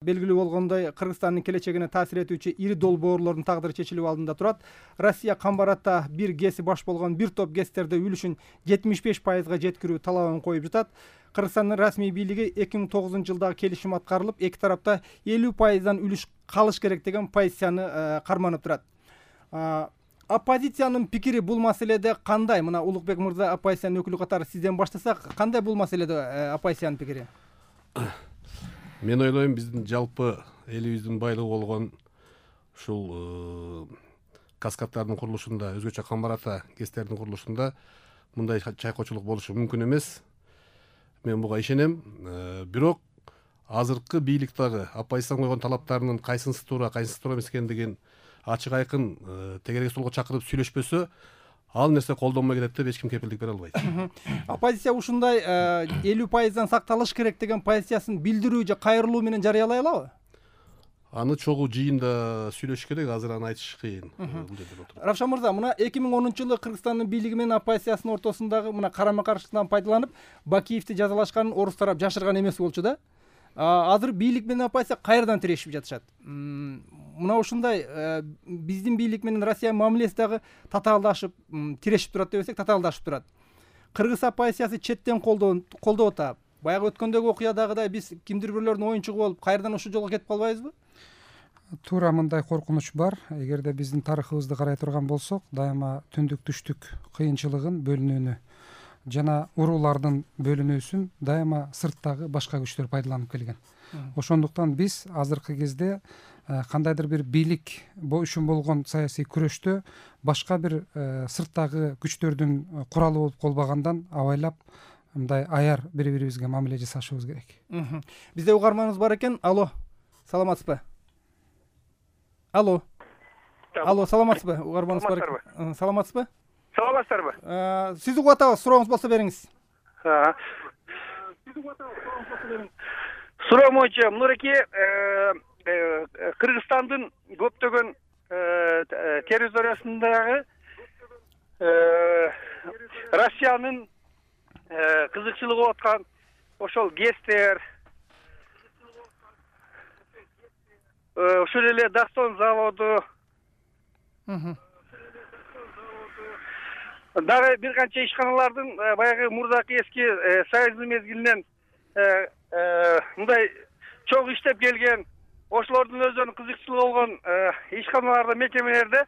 Белгилүү болгондой, Кыргызстандын келечегине таасир этүүчү ири долбоорлордун тагдыры чечилүү алдында турат. Россия камбарата бир ГЭСи баш болгон бир топ ГЭСтерде үлүшүн 75%га жеткирүү талабын коюп жатат. Кыргызстандын расмий бийлиги 2009-жылдагы келишим аткарылып, эки тарапта 50%дан үлүш калыш керек деген позицияны карманып турат. Оппозициянын пикири бул маселеде кандай? Мына Улукбек мырза оппозициянын өкүлү катары сизден баштасак, кандай бул маселеде оппозициянын пикири? Мен ойлойм, биздин жалпы элибиздин байлыгы болгон ушул каскаддардын курулушунда, өзгөчө камбарата ГЭСтердин курулушунда мындай чайкоочулук болушу мүмкүн эмес. Мен буга ишенем. Бирок азыркы бийлик дагы оппозициянын койгон талаптарынын кайсынысы туура, кайсынысы туура эмес экендигин ачык айкын тегерек столго чакырып сүйлөшпөсө, ал нерсе колдонбой кетет деп эч ким кепилдик бере албайт. Оппозиция ушундай 50%дан сакталыш керек деген позициясын билдирүү же кайрылуу менен жарыялай алабы? Аны чогуу жыйында сүйлөшүш керек, азыр аны айтыш кыйын. Равшан мырза, мына 2010-жылы Кыргызстандын бийлиги менен оппозициянын ортосундагы мына карама-каршылыктан пайдаланып, Бакиевди жазалашканын орус тарап жашырган эмес болчу да. Азыр бийлик менен оппозиция кайрадан тирешип жатышат. Мына ушундай биздин бийлик менен Россиянын мамилеси дагы татаалдашып, тирешип турат десек, татаалдашып турат. Кыргыз оппозициясы четтен колдоп атат. Баягы өткөндөгү окуядагыдай биз кимдир бирлөрдүн оюнчугу болуп, кайрадан ушул жолго кетип калбайбызбы? Туура мындай коркунуч бар. Эгерде биздин тарыхыбызды карай турган болсок, дайыма түндүк түштүк кыйынчылыгын, бөлүнүүнү жана уруулардын бөлүнүүсүн дайыма сырттагы башка күчтөр пайдаланып келген. Ошондуктан биз азыркы кезде кандайдыр бир бийлик үчүн болгон саясий күрөштө башка бир сырттагы күчтөрдүн куралы болуп калбагандан абайлап мындай аяр бири-бирибизге мамиле жасашыбыз керек. Бизде угарманыбыз бар экен. Алло, саламатсызбы? Алло, саламатсызбы? Угарманыбыз бар экен. Саламатсызбы? Саламатсыздарбы? Сиз угуп атабыз, сурооңуз болсо бериңиз. Суроо боюнча, мынакей Кыргызстандын көптөгөн территориясындагы Россиянын кызыкчылыгы болуп аткан ошол ГЭСтер, ошол эле Дастон заводу, дагы бир канча ишканалардын баягы мурдакы эски союздун мезгилинен мындай чоң иштеп келген, ошолордун өздөрүнүн кызыкчылыгы болгон ишканаларда, мекемелерде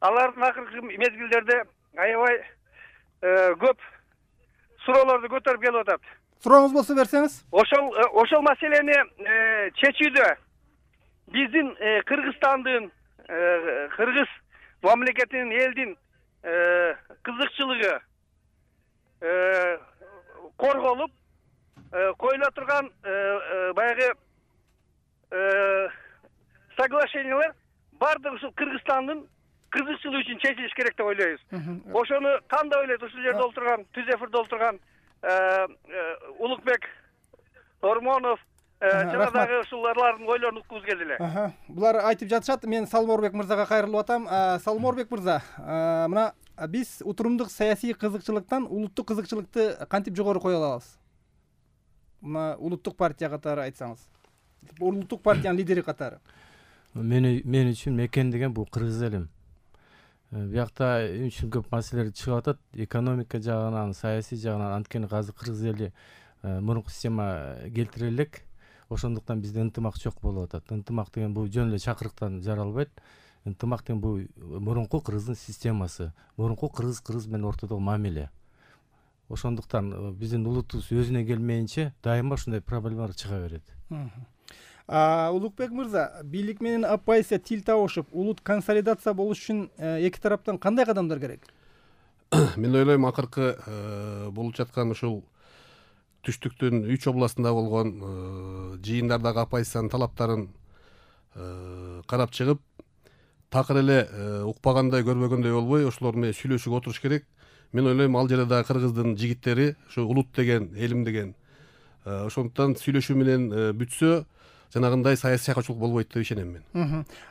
алардын акыркы мезгилдерде аябай көп суроолорду көтөрүп келип атат. Сурооңуз болсо берсеңиз. Ошол маселени чечүүдө биздин Кыргызстандын, кыргыз мамлекетинин, элдин кызыкчылыгы корголуп коюла турган баягы соглашениялар баардыгы ушул Кыргызстандын кызыкчылыгы үчүн чечилиш керек деп ойлойбуз. Ошону кандай ойлойт ушул жерде олтурган, түз эфирде олтурган Улукбек, Ормонов жана дагы ушулардын ойлорун уккубуз келди эле. Булар айтып жатышат. Мен Салморбек мырзага кайрылып атам. Салморбек мырза, мына биз утурумдук саясий кызыкчылыктан улуттук кызыкчылыкты кантип жогору кое алабыз? Мына улуттук партия катары айтсаңыз. Улуттук партиянын лидери катары. Мен үчүн мекен деген бул кыргыз элим. Биякта үчүн көп маселелер чыгып атат. Экономика жагынан, саясий жагынан, анткени азыр кыргыз эли мурунку система келтире элек. Ошондуктан бизде ынтымак жок болуп атат. Ынтымак деген бул жөн эле чакырыктан жаралбайт. Ынтымак деген бул мурунку кыргыздын системасы, мурунку кыргыз менен ортодогу мамиле. Ошондуктан биздин улутубуз өзүнө келмейинче дайыма ушундай проблемалар чыга берет. Улукбек мырза, бийлик менен оппозиция тил табышып, улут консолидация болуш үчүн эки тараптан кандай кадамдар керек? Мен ойлойм, акыркы болуп жаткан ушул түштүктүн 3 областында болгон жыйындардагы оппозициянын талаптарын карап чыгып, такыр эле укпагандай, көрбөгөндөй болбой, ошолор менен сүйлөшүүгө отуруш керек. Мен ойлойм, ал жерде дагы кыргыздын жигиттери, ушу улут деген, элим деген, ошондуктан сүйлөшүү менен бүтсө, жанагындай саясий чайкоочулук болбойт деп ишенем мен.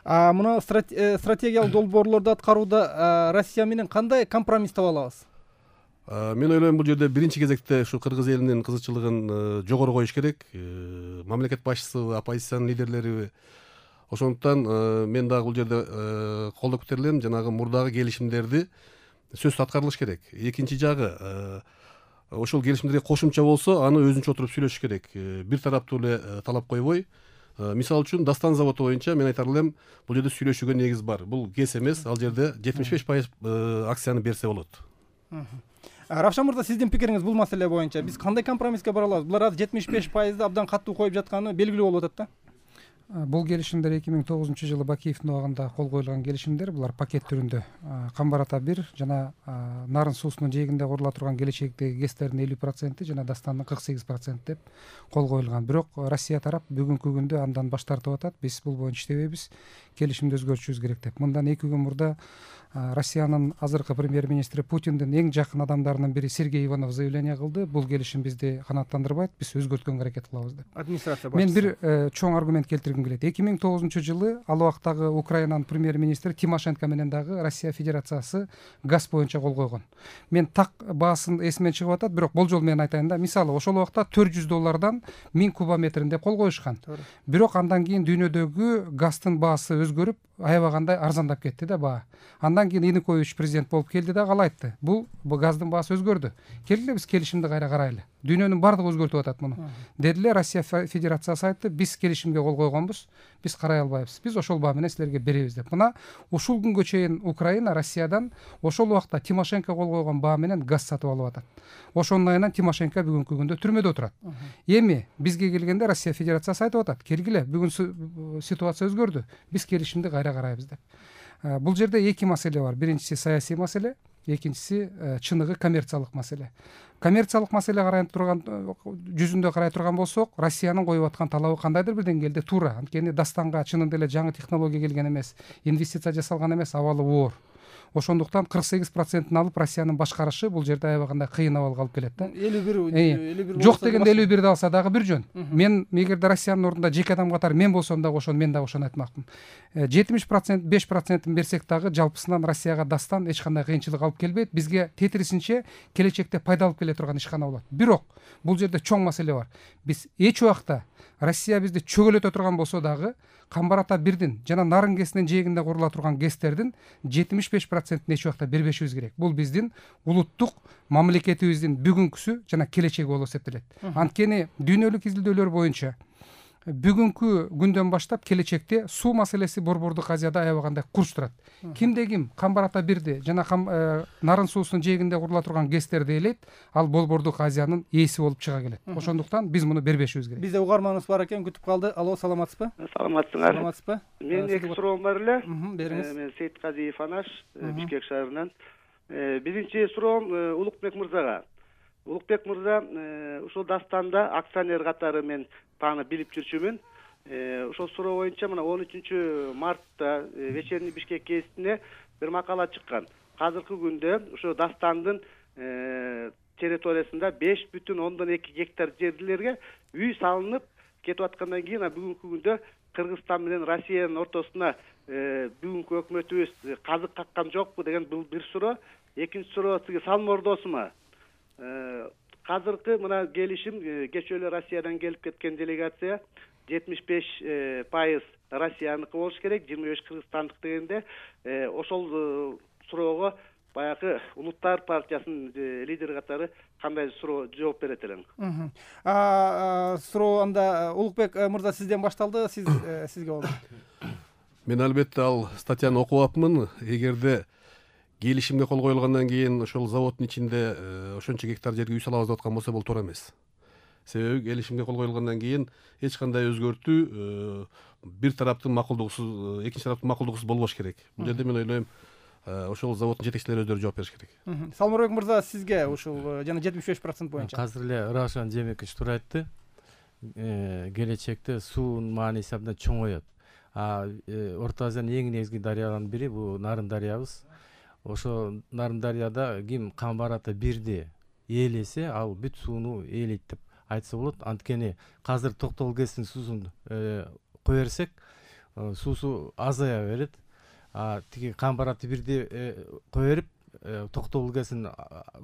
Мына стратегиялык долбоорлорду аткарууда Россия менен кандай компромисс таба алабыз? Мен ойлойм бул жерде биринчи кезекте ушу кыргыз элинин кызыкчылыгын жогору коюш керек. Мамлекет башчысыбы, оппозициянын лидерлериби. Ошондуктан мен дагы бул жерде колдоп кетерлем, жанагы мурдагы келишимдерди сөзсүз аткарылыш керек. Экинчи жагы, ошол келишимдерге кошумча болсо, аны өзүнчө отуруп сүйлөшүш керек. Бир тараптуу эле талап койбой. Мисалы үчүн Дастан заводу боюнча мен айтар элем, бул жерде сүйлөшүүгө негиз бар. Бул кес эмес, ал жерде 75% акцияны берсе болот. Равшан мырза, сиздин пикириңиз бул маселе боюнча биз кандай компромисске бара алабыз? Булар азыр 75%ды абдан катуу коюп жатканы белгилүү болуп атат да. Бул келишимдер 2009 Бакиевдин убагында кол коюлган келишимдер. Булар пакет түрүндө Камбар ата 1 жана Нарын суусунун жээгинде курула турган келечектеги ГЭСтердин 50% жана Дастандын 48% деп кол коюлган. Бирок Россия тарап бүгүнкү күндө андан баш тартып атат. Биз бул боюнча иштебейбиз, келишимди өзгөртүшүбүз керек деп. Мындан 2 күн мурда Россиянын азыркы премьер-министри Путиндин эң жакын адамдарынын бири Сергей Иванов заявление кылды. Бул келишим бизди канааттандырбайт, биз өзгөрткөнгө аракет кылабыз деп. Администрация Мен бир чоң аргумент келтиргим келет. 2009 ал убактагы Украинанын премьер-министри Тимошенко менен дагы Россия Федерациясы газ боюнча кол койгон. Мен так баасын эсимден чыгып атат, бирок болжол менен айтайын да. Мисалы, ошол убакта $400 1000 кубометрин деп кол коюшкан. Бирок андан кийин дүйнөдөгү газдын баасы өзгөрүп, аябагандай арзандап кетти да баа. Андан кийин Янукович президент болуп келди да ал айтты. Бул газдын баасы өзгөрдү. Келгиле биз келишимди кайра карайлы. Дүйнөнүн бардыгы өзгөртүп атат муну. Дедиле, Россия Федерациясы айтты, биз келишимге кол койгонбуз, биз карай албайбыз. Биз ошол баа менен силерге беребиз деп. Мына ушул күнгө чейин Украина Россиядан ошол убакта Тимошенко кол койгон баа менен газ сатып алып атат. Ошонун айынан Тимошенко бүгүнкү күндө түрмөдө отурат. Эми бизге келгенде Россия Федерациясы айтып атат, келгиле, бүгүн ситуация өзгөрдү. Биз келишимди кайра карайбыз деп. Бул жерде эки маселе бар. Биринчиси саясий маселе, экинчиси чыныгы коммерциялык маселе. Коммерциялык маселе карай турган жүзүндө карай турган болсок, Россиянын коюп аткан талабы кандайдыр бир деңгээлде туура. Анткени Дастанга чынында эле жаңы технология келген эмес, инвестиция жасалган эмес, абалы оор. Ошондуктан 48%-ын алып Россиянын башкарышы бул жерде аябагандай кыйын абалга алып келет да. 51 жок дегенде 51-ди алса дагы бир жөн. Мен эгерде Россиянын ордунда жеке адам катары мен болсом дагы ошону мен дагы ошону айтмакмын. 70%, 5%-ын берсек дагы жалпысынан Россияга Дастан эч кандай кыйынчылык алып келбейт. Бизге тетирисинче келечекте пайда алып келе турган ишкана болот. Бирок бул жерде чоң маселе бар. Биз эч убакта Россия бизди чөгөлөтө турган болсо дагы Камбар ата 1дин жана Нарын ГЭСинин жээгинде курула турган ГЭСтердин 75%-ын эч убакта бербешибиз керек. Бул биздин улуттук мамлекетибиздин бүгүнкүсү жана келечеги болуп эсептелет. Анткени дүйнөлүк изилдөөлөр боюнча бүгүнкү күндөн баштап келечекте суу маселеси Борбордук Азияда аябагандай курч турат. Кимде ким Камбар ата 1ди жана Нарын суусунун жээгинде курула турган ГЭСтерди ээлейт, ал Борбордук Азиянын ээси болуп чыга келет. Ошондуктан биз муну бербешибиз керек. Бизде угарманыбыз бар экен, күтүп калды. Алло, саламатсызбы? Саламатсызбы. Мен эки суроом бар эле. Бериңиз. Мен Сейитказиев Анаш, Бишкек шаарынан. Биринчи суроом Улукбек мырзага. Улукбек мырза ушул Дастанда акционер катары мен таанып билип жүрчүмүн. Ошол суроо боюнча мына 13 мартта Вечерний Бишкек гезитине бир макала чыккан. Азыркы күндө ошо Дастандын территориясында 5,2 гектар жерлерге үй салынып кетип аткандан кийин бүгүнкү күндө Кыргызстан менен Россиянын ортосуна бүгүнкү өкмөтүбүз казык каккан жокпу деген бул бир суроо. Экинчи суроо сизге салмордосума. Азыркы мына келишим кечээ эле Россиядан келип кеткен делегация 75% Россияныкы болуш керек, 25 Кыргызстандык дегенде ошол суроого баягы Улуттар партиясынын лидери катары кандай суроо жооп берет элең? Суроо анда Улукбек мырза сизден башталды, сизге болду. Мен албетте ал статьяны окуп апмын. Эгерде келишимге кол коюлгандан кийин ошол заводдун ичинде ошончо гектар жерге үй салабыз деп аткан болсо бул туура эмес. Себеби келишимге кол коюлгандан кийин эч кандай өзгөртүү бир тараптын макулдугусуз, экинчи тараптын макулдугусуз болбош керек. Бул жерде мен ойлойм ошол заводдун жетекчилери өздөрү жооп бериш керек. Салмырбек мырза, сизге ушул жана 75% боюнча. Азыр эле Равшан Жээнбекович туура айтты. Келечекте суунун мааниси абдан чоңойот. Орто Азиянын эң негизги дарыяларынын бири бул Нарын дарыябыз. Ошо Нарын дарыяда ким Камбар ата 1ди ээлесе, ал бүт сууну ээлейт деп айтса болот. Анткени азыр Токтогул ГЭСинин суусун кое берсек, суусу азая берет. Тиги Камбар ата 1ди кое берип, токтогул ГЭСин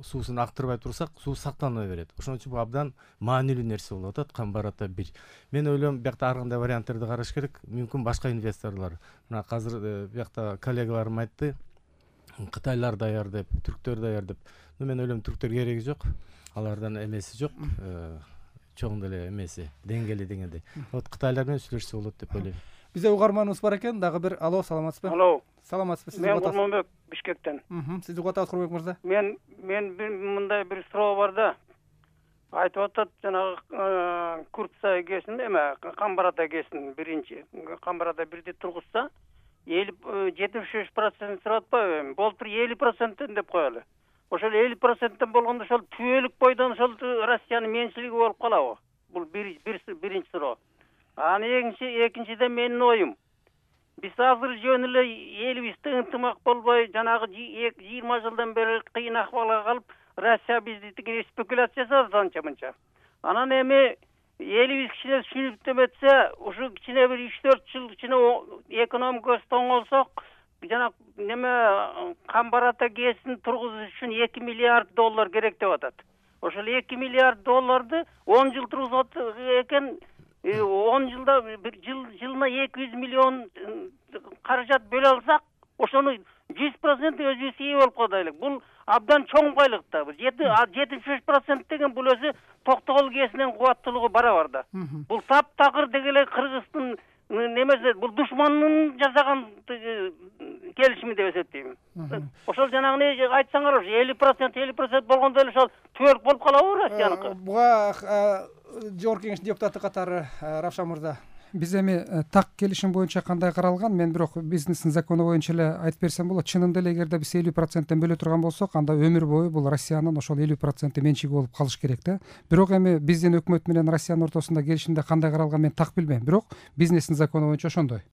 суусун актырбай турсак суу сакталбай берет. Ошон үчүн бул абдан маанилүү нерсе болуп атат. Камбар ата 1. Мен ойлойм биякта ар кандай варианттерди караш керек. Мүмкүн башка инвесторлор. Мына азыр биякта коллегаларым айтты. Кытайлар даяр деп, түрктөр даяр деп. Мен ойлойм түрктөр кереги жок. Алардан эмеси жок. Чоң деле эмеси, деңгээли дегендей. Вот кытайлар менен сүйлөшсө болот деп ойлойм. Бизде угарманыбыз бар экен, дагы бир. Алло, саламатсызбы? Алло. Саламатсызбы? Сизди Мен угатабыз. Курманбек Бишкектен. Сизди угатабыз, Курманбек мырза. Мен мындай бир суроо бар да. Айтып атат жанагы Куртсай ГЭСин эме Камбар ата ГЭСин биринчи Камбар ата 1ди тургузса 75% сурап атпайбы? Болтур 50% деп коелу. Ошол 50% болгондо ошол түбөлүк бойдон ошол Россиянын менчилиги болуп калабы? Бул биринчи суроо. Анан экинчиден менин оюм. Биз азыр жөн эле элибизде ынтымак болбой, жанагы 20 жылдан бери кыйын акыбалга калып, Россия бизди тиги спекуляция жасады анча-мынча. Анан эми элибиз кичине түшүнүп деметсе, ушу кичине бир 3-4 жыл кичине экономикасы тоңолсок, жана неме Камбар ата ГЭСин тургузуш үчүн $2 миллиард керек деп атат. Ошол $2 миллиард 10 жыл тургузат экен. 10 жылда жылына 200 миллион каражат бөлө алсак, ошону 100% өзүбүз ээ болуп калайлык. Бул абдан чоң байлык да. 75% деген бул өзү Токтогул ГЭСинин кубаттуулугу барабар да. Бул таптакыр дегеле Кыргыздын немесе бул душмандын жасаган келишими деп эсептейм. Ошол жанагы айтсаңар, 50% болгондо эле ошол түбөлүк болуп калабы Россияныкы? Буга Жогорку Кеңештин депутаты катары Равшан мырза. Биз эми так келишим боюнча кандай каралган, мен бирок бизнестин закону боюнча эле айтып берсем болот. Чынында эле эгерде биз 50%тен бөлө турган болсок, анда өмүр бою бул Россиянын ошол 50% менчиги болуп калыш керек да. Бирок эми биздин өкмөт менен Россиянын ортосунда келишимде кандай каралган мен так билбейм. Бирок бизнестин закону боюнча ошондой.